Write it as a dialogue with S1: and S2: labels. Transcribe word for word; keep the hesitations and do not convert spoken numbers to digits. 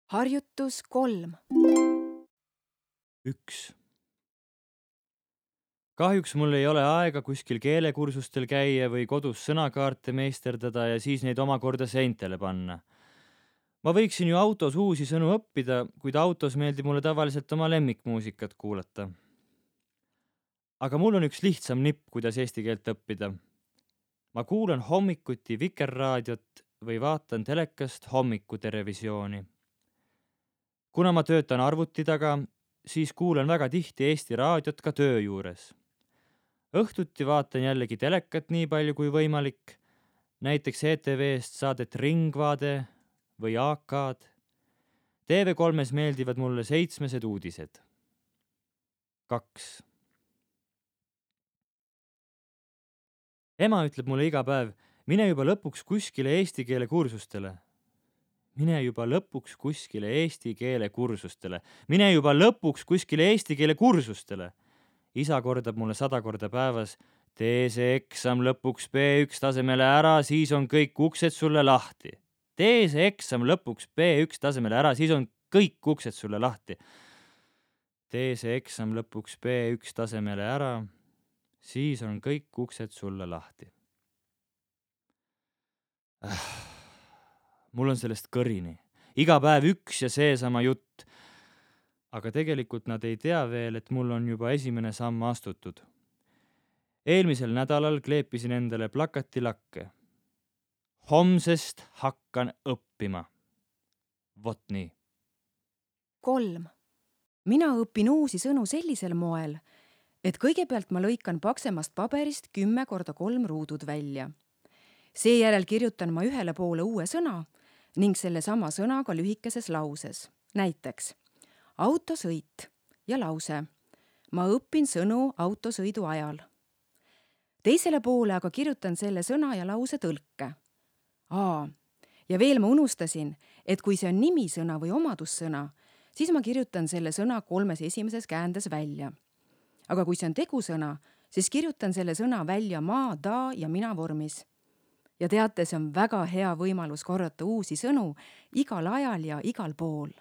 S1: Harjutus kolm.
S2: üks. Kahjuks mul ei ole aega kuskil keelekursustel käia või kodus sõnakaarte meisterdada ja siis neid omakorda seintele panna. Ma võiksin ju autos uusi sõnu õppida, kuid autos meeldib mulle tavaliselt oma lemmikmuusikat kuulata. Aga mul on üks lihtsam nipp, kuidas eesti keelt õppida. Ma kuulan hommikuti Vikerraadiot või vaatan telekast hommikuterevisiooni. Kuna ma töötan arvuti taga, siis kuulan väga tihti Eesti raadiot ka töö juures. Õhtuti vaatan jällegi telekat nii palju kui võimalik, näiteks E T V-st saadet Ringvaade või A K-d. T V kolmes meeldivad mulle seitsmesed uudised. kaks. Ema ütleb mulle iga päev, mine juba lõpuks kuskile eesti keele kursustele. Mine juba lõpuks kuskile eesti keele kursustele. Mine juba lõpuks kuskile eesti keele kursustele. Isa kordab mulle sada korda päevas, tee see eksam lõpuks B üks tasemele ära, siis on kõik uksed sulle lahti. Tee see eksam lõpuks B üks tasemele ära, siis on kõik uksed sulle lahti. Tee see eksam lõpuks B üks tasemele ära, siis on kõik uksed sulle lahti. Äh, mul on sellest kõrini. Iga päev üks ja seesama jutt. Aga tegelikult nad ei tea veel, et mul on juba esimene samm astutud. Eelmisel nädalal kleepisin endale plakatilakke. Homsest hakkan õppima. Vot nii.
S1: kolm. Mina õpin uusi sõnu sellisel moel, et kõigepealt ma lõikan paksemast paberist kümme korda kolm ruudud välja. Seejärel kirjutan ma ühele poole uue sõna ning selle sama sõnaga lühikeses lauses. Näiteks autosõit ja lause. Ma õpin sõnu autosõidu ajal. Teisele poole aga kirjutan selle sõna ja lause tõlke. Aa, ja veel ma unustasin, et kui see on nimisõna või omadussõna, siis ma kirjutan selle sõna kolmes esimeses käändes välja. Aga kui see on tegusõna, siis kirjutan selle sõna välja ma, ta ja mina vormis. Ja teate, see on väga hea võimalus korrata uusi sõnu igal ajal ja igal pool.